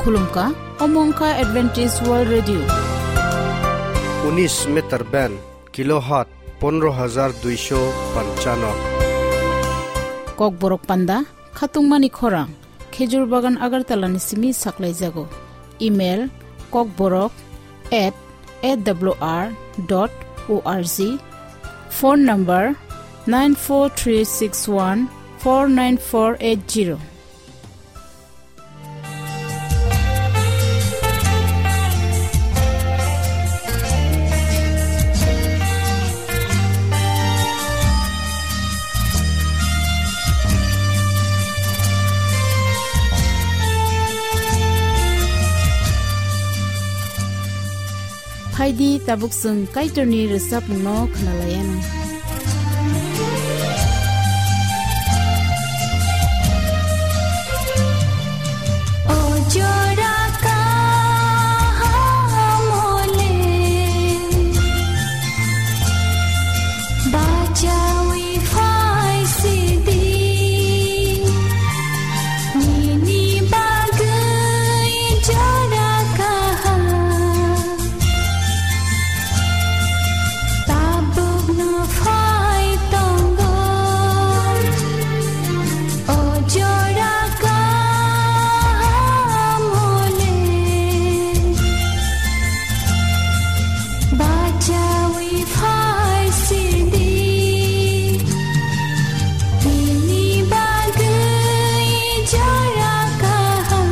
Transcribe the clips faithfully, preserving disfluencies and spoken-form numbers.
Khulumkha, omo wngkha Adventist World Radio. Unis meter band, kilohertz pondro hajar duisho panchano. Kokborok panda, khatungmani khorang, Khejur Bagan Agartala ni simi saklaijago. Email, kokborok at A W R dot O R G. Phone number, nine four three six one four nine four eight zero. Phaidi, tabuk chwng Kaitorni rwchapmungno khwnalaianw. O jora kaham le, bachaui phai sidi, nini bagwi jora kaham. Tabukno phai tongo, o jora kaham le, bachaui phai sidi. Nini bagwi jora kaham,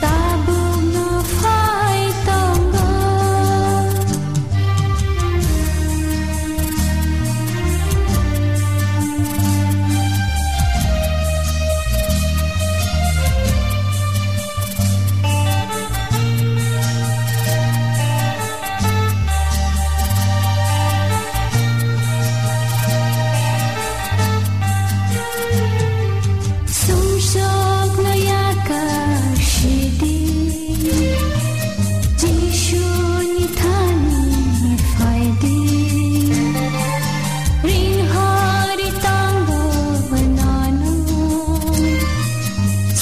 tabukno phai tongo. Sumsokno yakar sidi, Jisuni thani phaidi. Ring hari tangbo nanu,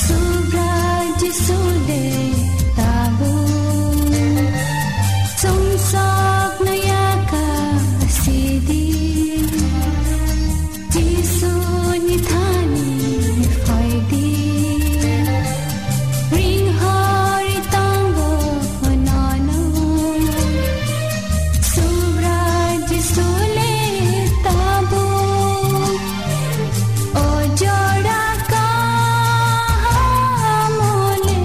Subrai Jisu le tabuk. Sumsokno yakar sidi, Jisuni thani phaidi. Ring hari tangbo nanu, Subrai Jisu le tabuk. O jora kaham le,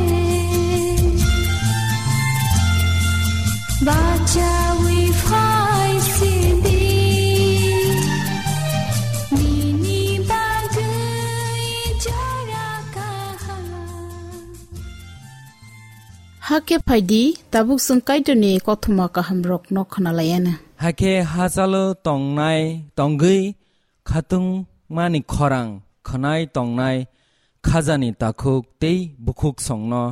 bachaui phai sidi. Nini bagwi jora kaham. Hakhe phaidi, tabuk chwng Kaitorni kothoma kahamrokno khwnalaianw. Hakhe hachalo tongnai, tongwi khatungmani khorang khwnai tongnai khajani takhuk tei bukhuk songno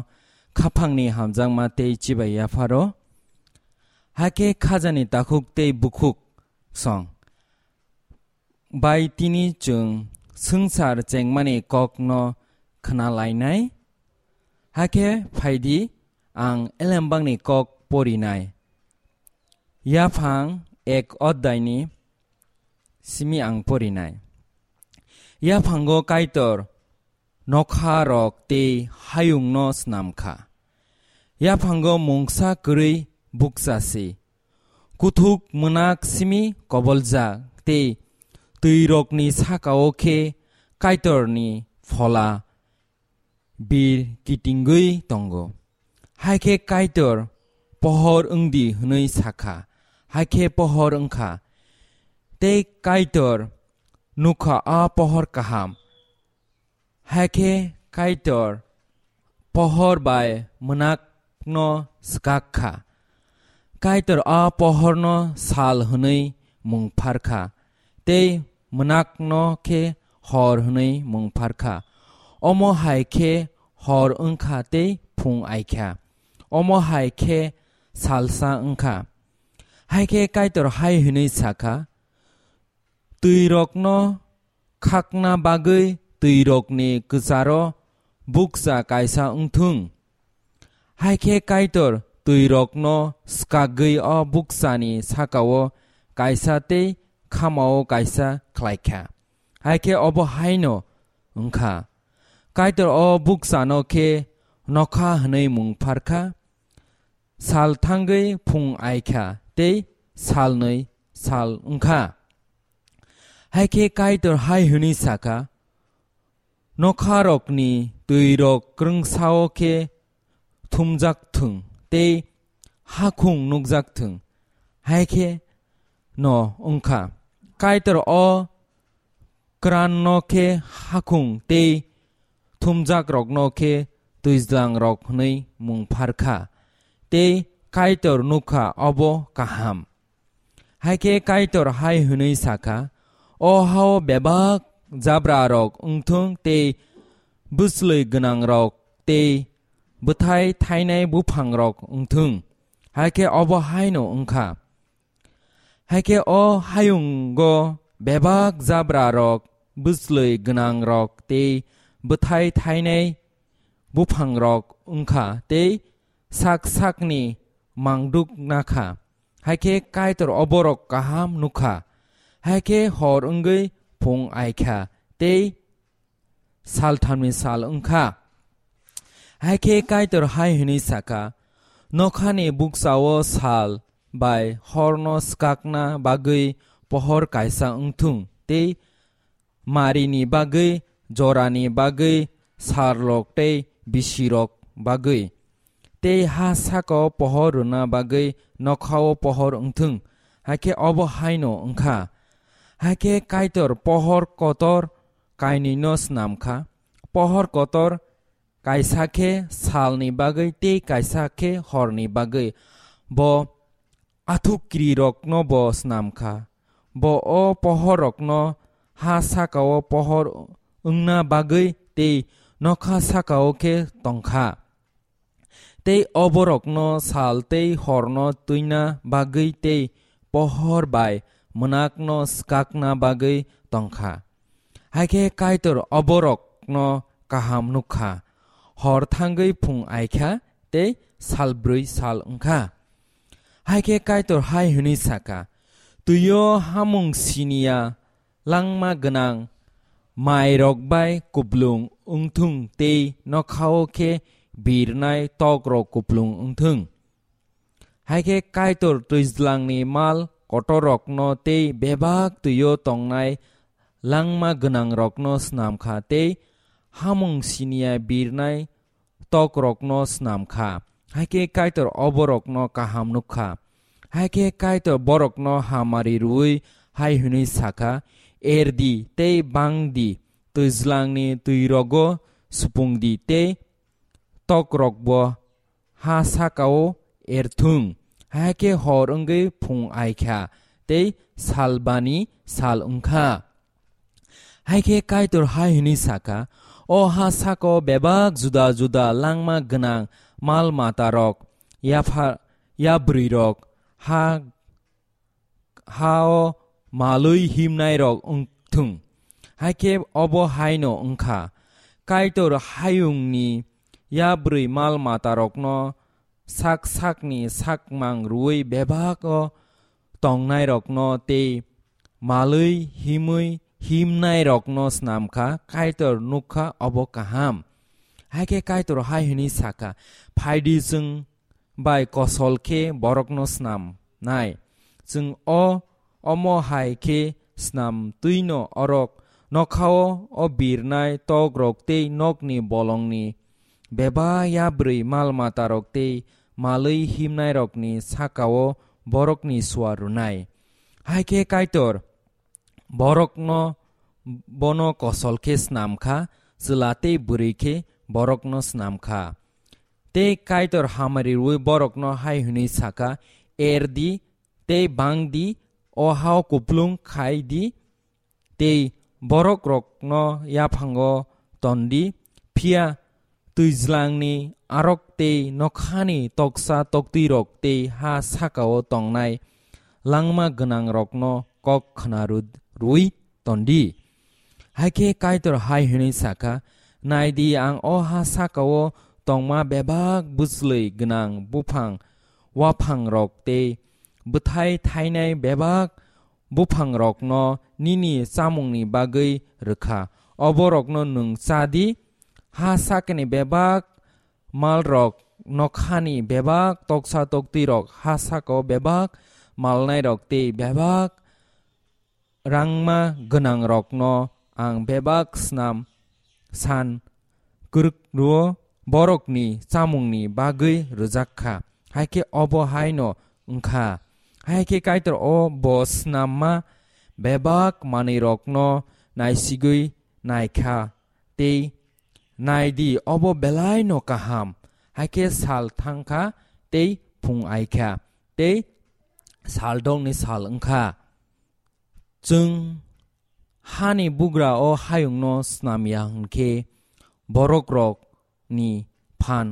khaphangni hamjakma tei chibai yapharo. Hakhe khajani takhuk tei bukhuk song bai tini chwng swngchar chengmani kokno khwnalainai. Hakhe phaidi, ang elembakni kok porinai. Yaphang ek oddaini simi ang porinai. Yaphango Kaitor nokha rok tei hayungno snam kha. Yaphango mungsa kwrwi bukcha si. Kuthuk mwnak simi koboljak tei twi rokni saka-o khe Kaitorni phola bir kitingwi tongo. Hai khe Kaitor pohor wng di hwnwi sa kha, hai khe pohor wng kha. Tei Kaitor nuk kha a pohor kaham. Hai khe Kaitor pohor bai mwnakno swkak kha. Kaitor a pohorno sal hwnwi mung phar kha, tei mwnakno khe hor hwnwi mung phar kha. Omo hai khe hor wng kha tei phung ai kha. Omo hai khe salsa wng kha. Hai khe Kaitor hai hwnwi sa kha, "Twi rokno khakna bagwi twirokni kwcharo bukcha kaisa wng thung. Hai khe Kaitor twirokno swkagwi o bukchani sakao kaisa tei khamao kaisa khlai kha. Hai khe obo haino wng kha. Kaitor o bukchano khe nokha hwnwi mung phar kha. Sal thangwi phung ai kha tei salnwi sal wng kha. Hai khe Kaitor hai hwnwi sa kha, "Nokharokni twirok kwrwngsao khe thumjak thung tei hakhung nukjak thung." Hai khe no wng kha. Kaitor o kwranno khe hakhung tei thumjakrokno khe twijlangrok hwnwi mung phar kha, tei Kaitor nuk kha obo kaham. Hai khe Kaitor hai hwnwi sa kha, "O hao bebak jabrarok wng thung tei bwslwi gwnangrok tei bwthai thainai buphangrok wng thung." Hai khe obo haino wng kha. Hai khe o hayungo bebak jabrarok, bwslwi gwnangrok tei bwthai thainai buphangrok wng kha tei sak sakni mangduk na kha. Hai khe Kaitor oborok kaham nuk kha. Hai khe hor wngwi phung ai kha tei salthamni sal wng kha. Hai khe Kaitor hai hwnwi sa kha, "Nokhani bukchao sal bai horno swkakna bagwi pohor kaisa wng thung, tei marini bagwi, jorani bagwi, sarlok tei bisirok bagwi, tei ha sakao pohor rwna bagwi nokhao pohor wng thung." Hai khe obo haino wng kha. Hai khe Kaitor pohor kotor kainwino snam kha. Pohor kotor kaisa khe salni bagwi tei kaisa khe horni bagwi. Bo athukrirokno bo snam kha. Bo o pohorrokno ha sakao pohor wngna bagwi tei nokha sakao khe tong kha. Tei oborokno sal tei horno twina bagwi tei pohor bai mwnakno swkakna bagwi tong kha. Hai khe Kaitor oborokno kaham nuk kha. Hor thangwi phung ai kha tei sal brwi sal wng kha. Hai khe Kaitor hai hwnwi sa kha, "Twio hamung siniya langma gwnang mairok bai kuplung wng thung tei nokhao khe birnai tokrok kuplung wng thung." Hai khe Kaitor twijlangni mal kotorrokno tei bebak twio tongnai langma gwnangrokno snam kha tei hamung siniya birnai tokrokno snam kha. Hai khe Kaitor oborokno kaham nuk kha. Hai khe Kaitor borokno hamari rwui hai hwnwi sa kha, "Er di tei bang di, twijlangni twirogo supung di tei tokrokbo ha sakao er thung." Hai khe hor wngwi phung ai kha tei salbani sal wng kha. Hai khe Kaitor hai hwnwi sa kha, "O ha sakao bebak juda juda langma gwnang mal matarok, yapha-, yabrwirok, ha, ha-o malwi himnairok wng thung." Hai khe obo haino wng kha. Kaitor hayungni yabrwi mal matarokno sak sakni sakmang rwui bebak-o tongnairokno tei malwi himwi himnairokno snam kha, Kaitor nuk kha obo kaham. Hai khe Kaitor hai hwnwi sa kha, "Phai di, chwng bai kosol khe borokno snam nai. Chwng o omo hai khe snam twino orok nokhao o birnai tokrok tei nokni bolongni bebak yabrwi mal matarok tei malwi himnairokni sakao borokni suar rwnai." Hai khe Kaitor borokno bono kosol khe snam kha, chwla tei bwrwi khe borokno snam kha. Tei Kaitor hamari rwui borokno hai hwnwi sa kha, "Er di tei bang di, o hao kuplung khai di, tei borokrokno yaphango ton di, phiya twijlangni arok tei nokhani toksa toktwirok tei ha sakao tongnai langma gwnangrokno kok khna rw-, rwui ton di." Hai khe Kaitor hai hwnwi sa kha, "Nai di, ang o ha saka-o tongma bebak bwchlwi gwnang buphang waphangrok tei bwthái tháinai bebak buphangrokno nini chámungni bagwi rw kha. Oborokno nwng chá di. Ha sakani bebak malrok, nokhani bebak toksa toktwirok, ha saka-o bebak malnairok tei bebak rangma gwnangrokno ang bebak snam san kwrwk rw-o borokni chámungni bagwi rwjak kha." Hai khe obo haino wng kha. Hai khe Kaitor o bo snamma bebak manwirokno naisigwi nai kha tei, "Nai di, obo belai no kaham." Hai khe sal thang kha tei phung ai kha tei sal dongni sal wng kha. Chwng hani bugra o hayungno snam ya hwn khe, borokrokni phan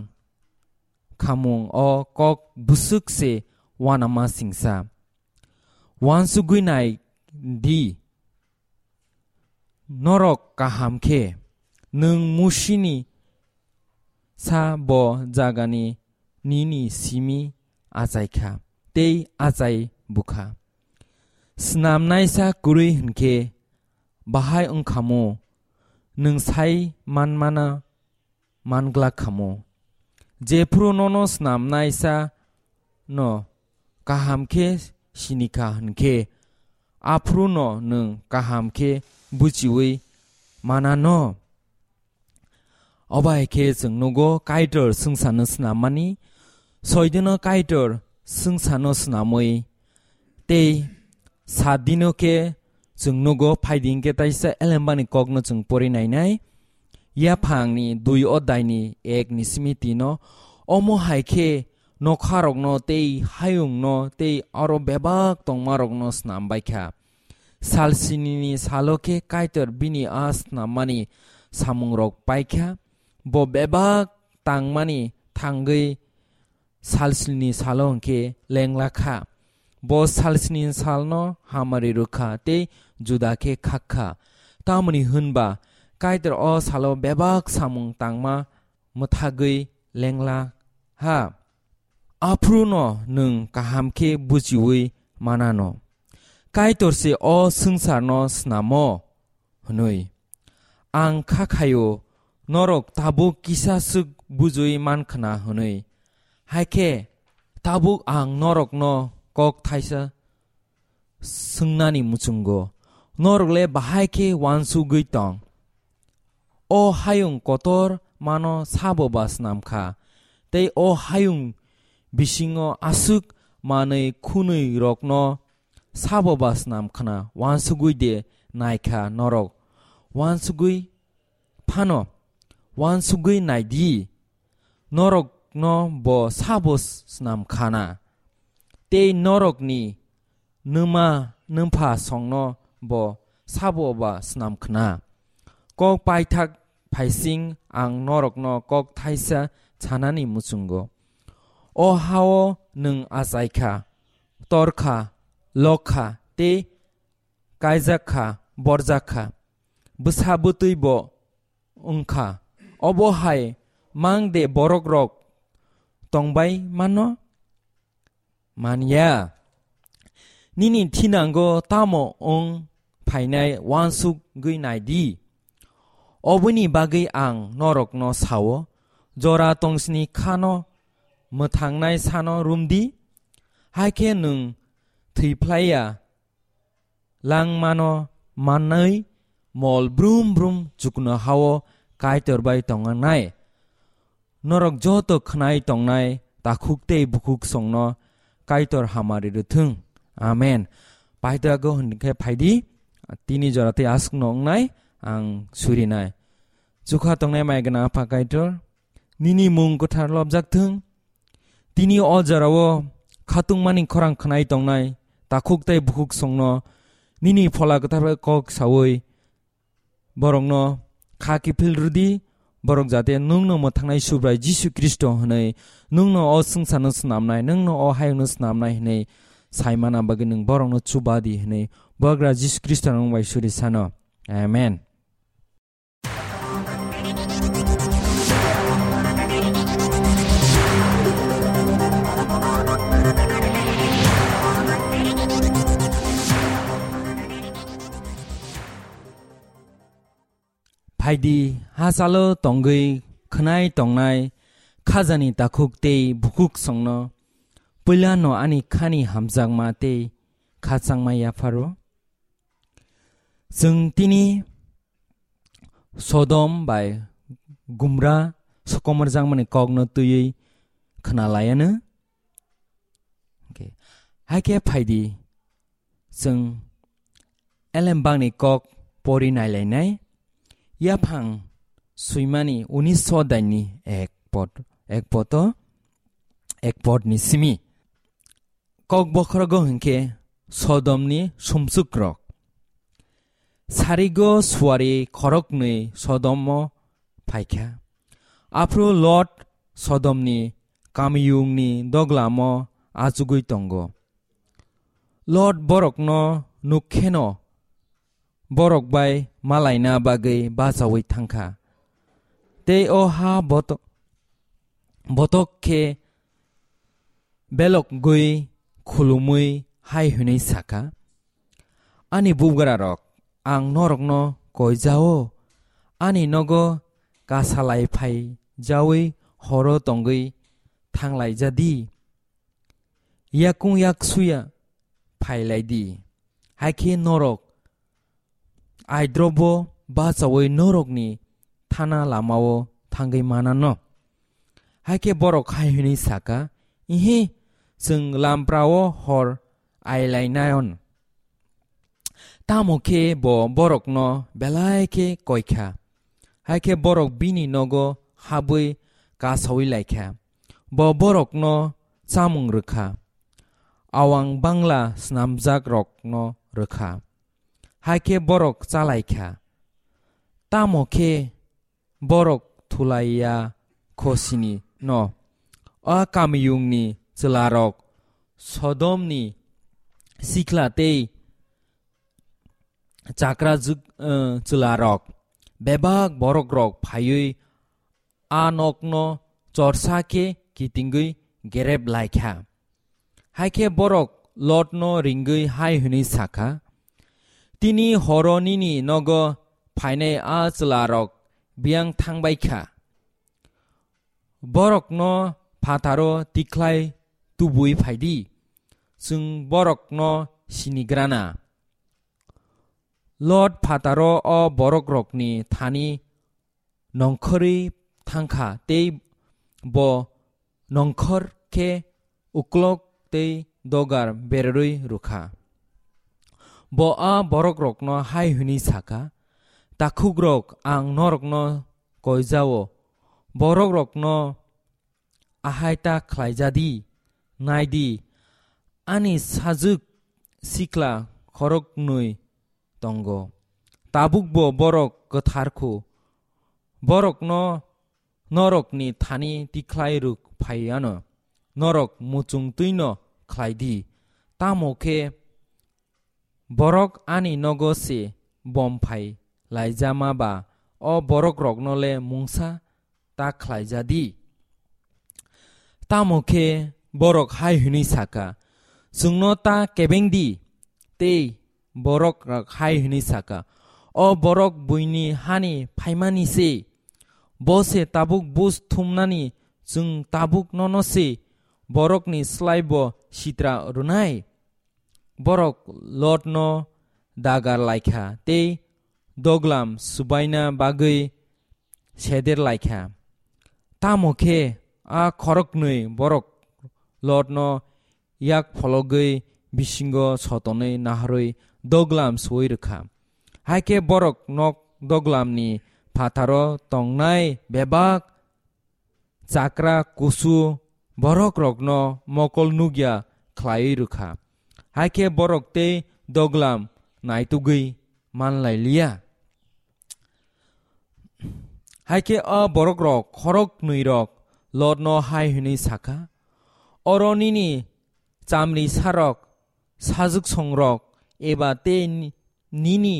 khamung o kok bwswk se uanama singsa. Uansugwi nai di, norok kaham khe, nwng Musini sa bo jagani nini simi achai kha tei achai bukha. Snamnaisa kwrwi hwn khe bahai wng khamu, nwng sai manmana man glak khamu. Jephru nono snamnaisa no kaham khe sini kha hwn khe, aphru no nwng kaham khe buchiwi mana no. Obo hai khe chwng nugo Kaitor swngcharno snammani, soidino Kaitor swngcharno snamwi tei saat dino khe chwng nugo phaidi hwnkhe taisa elembani kokno chwng pori nainai. Yaphangni dui oddaini ek ni simi tino, omo hai khe nokharokno tei hayungno tei aro bebak tongmarokno snam bai kha. Sal sinini salo khe Kaitor bini a snammani samungrok pai kha. Bo bebak tangmani thangwi sal sinini salo hwnkhe lengla kha. Bo sal sinini salno hamari rw kha tei juda khe khak kha. Tamoni hwn ba Kaitor o salo bebak samung tangma mwthagwi lengla ha. Aphuru no nwng kaham khe buchiui manano. Kaitor se o swngcharno snamo hwnwi. Ang kha khaio, norok tabuk kisa swk bujui man khna hwnwi. Hai khe tabuk ang norokno kok thaisa swngnani muchungo, norok le bahai khe uansugwi tong? O hayung kotor mano sabo ba snam kha, tei o hayung bisingo aswk manwi khwnwi rokno sabo ba snam khna? Uansugwi de nai kha norok, uansugwi phano uansugwi nai di, norokno bo sabo snam khana, tei norokni nwma nwpha songno bo sabo ba snam khna. Kok paithak phaising ang norokno kok thaisa sanani muchungo. O hao nwng achai kha, tor kha, lok kha, tei kaijak kha, borjak kha, bwsa bwtwi bo wng kha. Obo hai mang de borok rok tongbai mano? Man ya. Nini thinango tamo wng phainai uansugwi nai di. Oboni bagwi ang norokno sao, jora tongsini khano mwthangnai sano rum di, hai khe nwng thwi phlai ya langmano manwi mol brum brum chukno hao Kaitor bai tongnai. Norok joto khnai tongnai takhuk tei bukhuk songno Kaitor hamari rwthwng. Amen. Paithago hwnkhe phaidi, tini jora tei aswkno wngnai ang surinai. Chukha tongnai mai gwnang Apha Kaitor, nini mung kwthar lobjak thwng. Tini o jorao khatungmani khorang khnai tongnai takhuk tei bukhuk songno nini Phola Kwthar bai kok saui borokno kha kiphil rwdi, borok jate nwngno mwthangnai Subrai Jisu Khristo hwnwi, nwngno o swngcharno snamnai, nwngno o hayungno snamnai hwnwi saimana bagwi nwng borokno chuba di hwnwi Bubagra Jisu Khristo nwng bai suri sano. Amen. Aidi hachalo tongwi khwnai tongnai khajani takhuk tei bukhuk songno puilano ani khani hamjakma tei khachangma yapharo. Chwng tini Sodom bai Gumra sokomorjakmani kokno twiwi khwnalaiano. Okay. Hai khe phaidi, chwng elembakni kok pori nailainai. Yaphang swimani unis so daini ek pot, ek poto, ek potni simi. Kok bokhorogo hinkhe Sodomni sumsukrok. Sarigo suari khoroknwi Sodomo phaikha. Aphuru Lot Sodomni kamiyungni doglamo achugwi tongo. Lot borokno nukkheno borok bai malaina bagwi bachaui thangkha. Tei o ha boto-, botok khe belokgwi khulumwi hai hwnwi sakha, "Ani bugrarok, ang norokno koi jao, ani nogo kasalai phai jaui horo tongwi thanglai jadi. Yakung yaksuya phailai di, hai khe norok aidrobo bachaui norokni thana lamao thangwi manano." Hai khe borok hai hwnwi sakha, "Ihi, chwng lamprao hor ailainayon." Tamo khe bo borokno belai khe koikha. Hai khe borok bini nogo habwi kasaui laikha. Bo borokno chamung rwkha. Awang bangla snamjakrokno rwkha. Hai khe borok chalaikha. Tamo khe borok thulaiya khosini no. A kamiyungni chwlarok, Sodomni sikla tei chakra jwk-, eh, chwlarok, bebak borokrok phaiwi a nokno chorsa khe kitingwi gerep laikha. Hai khe borok Lotno ringwi hai hwnwi sakha, "Tini horo nini nogo phainai a chwlarok biyang thangbai kha. Borokno phataro tikhlai tubui phai di, chwng borokno sinigrana." Lot phataro o borokrokni thani nongkhorwi thangkha tei bo nongkhor khe uklok tei dogar bererwi rwkha. Bo a borokrokno hai hwnwi sakha, "Takhukrok, ang norokno koijao, borokrokno ahai ta khlaijadi, naidi, ani sajwk sikla khoroknwi tongo. Tabukbo borok kwthar khu. Borokno norokni thani tikhlai rwk phai ano. Norok muchung twino khlai di. Tamo khe borok ani nogo se bom phai laijama ba o borokrokno le mungsa ta khlaija di." Tamo khe borok hai hwnwi sakha, "Chwngno ta kebeng di." Tei borok hai hwnwi sakha, "O borok buini hani phaimani se, bo se tabuk buj thumnani, chwng tabuk nono se borokni slai bo sitra rwnai." Borok Lotno dagar laikha tei doglam subaina bagwi seder laikha. Tamo khe a khoroknwi borok Lotno yak phologwi bisingo sotonwi naharwi doglam suwi rwkha. Hai khe borok nok doglamni phataro tongnai bebak chakra kusu borokrokno mokol nukya khlaiwi rwkha. Hai khe borok tei doglam naitugwi manlailiya. Hai khe a borokrok khoroknwirok Lotno hai hwnwi sakha, "Oro nini chamri sarok, sajwk songrok, eba tei ni-, nini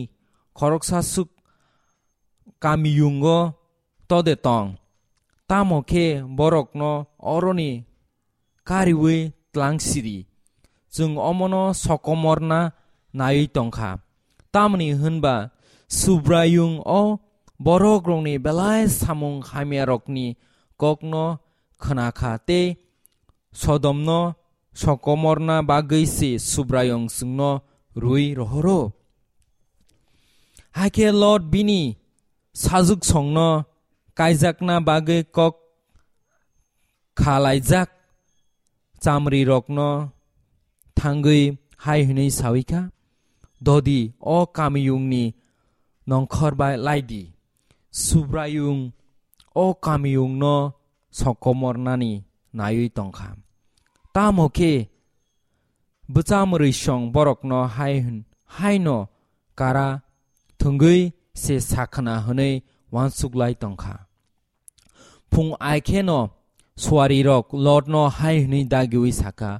khoroksa swk kamiyungo tode tong. Tamo khe borokno oroni kariwi tlang siri. Chwng omono sokomorna naiwi tongkha. Tamni hwnba Subraiyung o Borok rokni belai samung hamya rokni kokno khna kha tei Sodomno sokomorna bagwi se Subraiyung chwngno rwi rohoro. Hakhe Lot bini sajwk songno kaijakna bagwi kok khalaijak chamrirokno thangwi hai hwnwi sawi kha, "Dodi o kamiyungni nongkhor bai lai di. Subraiyung o kamiyungno sokomornani naiwi tong kha." Tamo khe bwchamwrwi song borokno hai hwn-, haino kara thwngwi se sakhna hwnwi uansuk lai tong kha. Phung ai kheno suarirok Lotno hai hwnwi dagiui sa kha,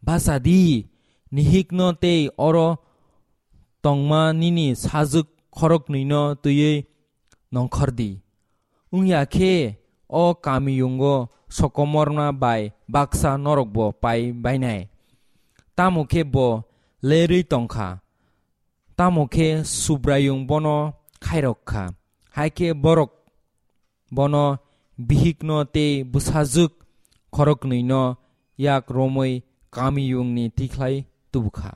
"Bacha di, nihikno tei oro tongma nini sajwk khoroknwino twiwi nongkhor di. Wng ya khe o kamiyungo sokomorma bai baksa norokbo pai bainai." Tamo khe bo lerwi tong kha. Tamo khe Subraiyung bono khairok kha. Hai khe borok bono bihikno tei bwsajwk khoroknwino yak romwi kamiyungni tikhlai tubu kha.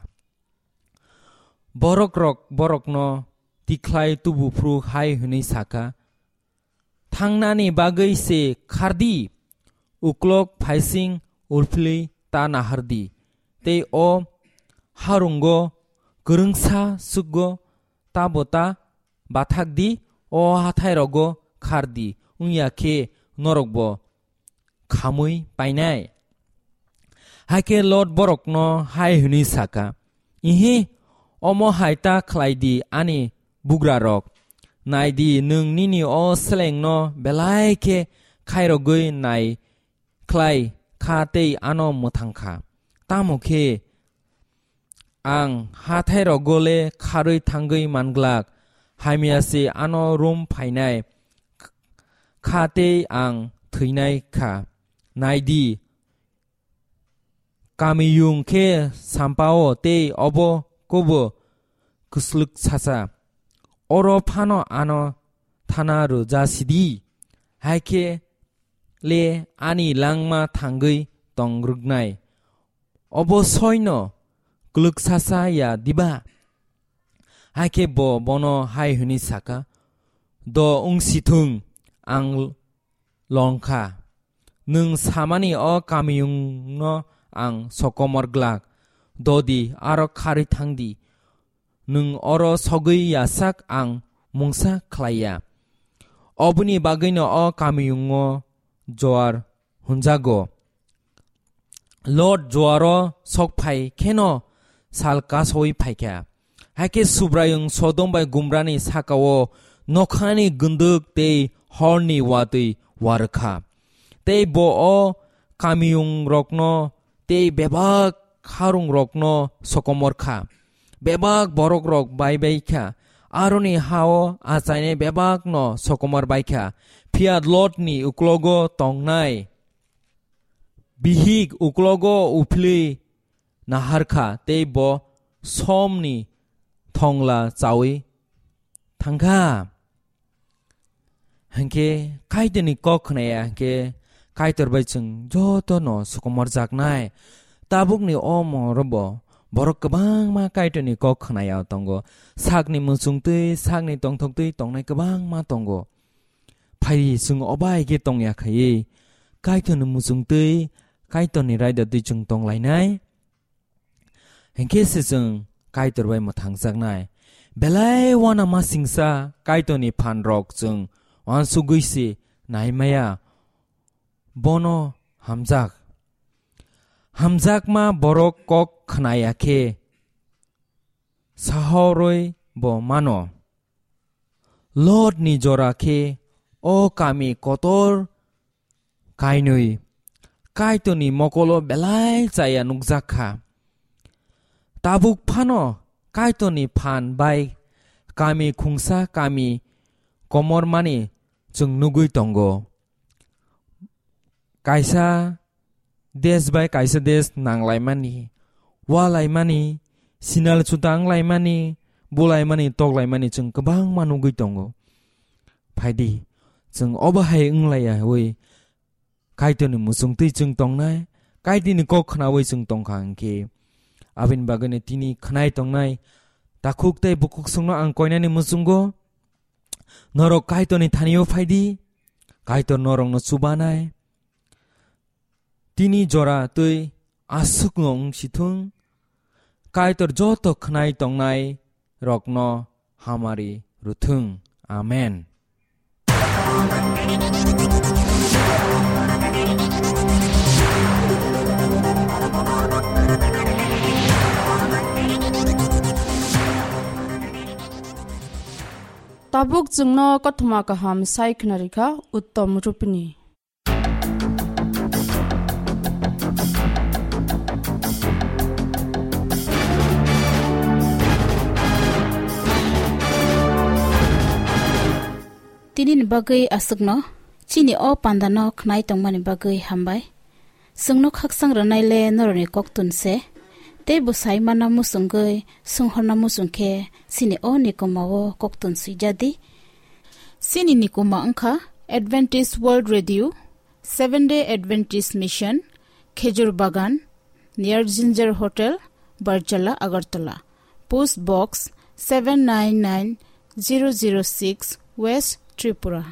Borok rok borokno tikhlai tubu phuru hai hwnwi sa kha, "Thangnani bagwi se khar di, uklok phaising ulphilwi ta nahar di, tei o harungo kwrwngsa swkgo tabo ta bathak di, o hathairogo khar di, wng ya khe norokbo khamwi painai." Hakhe Lot borokno hai hwnwi sa kha, "Ihi, omo hai ta khlai di ani bugrarok. Nai di, nwng nini o selengno belai khe khairogwi nai khlai kha tei ano mwthang kha. Tamo khe ang hathairogo le kharwi thangwi manglak, hamya se ano rum phainai kha tei ang thwinai kha. Nai di, kamiyung khe sampao tei obo kobo kwslwk sacha. Oro phano ano thana rwja sidi, hai khe le ani langma thangwi tong rwknai. Obo soino kwlwksacha ya diba?" Hai khe bo bono hai hwnwi sa kha, "Do wng si thung, ang long kha. Nwng samani o kamiyungno ang sokomor glak. Dodi aro kharwi thang di. Nwng oro sogwi ya sak ang mungsa khlai ya." Oboni bagwino o kamiyungo Joar hwnjago. Lot Joaro sok phai kheno sal kasowi phai kha. Hai khe Subraiyung Sodom bai Gumrani saka-o nokhani gwndwk tei horni watwi wa rw kha. Tei bo o kamiyungrokno tei bebak harungrokno sokomor kha. Bebak borokrok bai bai kha. Aroni ha-o achainai bebakno sokomor bai kha. Phiya Lotni uklogo tongnai bihik uklogo uphilwi nahar kha tei bo somni thongla chawi thang kha. Hinkhe Kaitorni kok khnaya hinkhe Kaitor bai chwng jotono sokomorjaknai. Tabukni o morobo borok kwbangma Kaitorni kok khnaya tongo. Sakni muchungtwi, sakni tongthoktwi tongnai kwbangma tongo. Phai chwng obai khe tongya khaiwi Kaitorni muchungtwi, Kaitorni raida twi chwng tonglainai. Hinkhe se chwng Kaitor bai mwthangjaknai. Belai uanama singsa Kaitorni phanrok chwng uansugwi se naimaya. Bono hamjak. Hamjakma borok kok khnaya khe sahorwi bo mano. Lotni jora khe o kami kotor kainwi Kaitorni mokolo belai chaya nukjak kha. Tabuk phano Kaitorni phan bai kami khungsa kami komormani chwng nugwi tongo. Kaisa desh bai kaisa desh nanglaimani, walaimani, sinal chutanglaimani, bulaimani, toklaimani chwng kwbangma nugwi tongo. phaidi. Chwng obo hai wnglaiyaui Kaitorni muchungtwi chwng tongnai, Kaitorni kok khnaui chwng tongkha hwnkhe, aboni bagwino tini khnai tongnai takhuk tei bukhuk songno ang koinani muchungo norok Kaitorni thanio phaidi, Kaitor norokno chubanai. Tini jora twi aswkno wng sithwng, Kaitor joto khnai tongnai rokno hamari rwthwng. Amen. Tabuk chwngno kothoma kaham sai khna rikha Uttom Rupini. Tini ni bagwi aswkno, chini o panda no khnai tongmani bagwi hambai. Chwngno khakchang rwnai le norokni koktun se, tei bwsai mana muchungwi swnghorna muchung khe chini o nikoma o koktun swijadi. Chini nikoma wngkha Adventist World Radio, Seventh Day Adventist Mission, Khejur Bagan, near Ginger Hotel, Barjala, Agartala. Post Box seven nine nine zero zero six, West Tripura.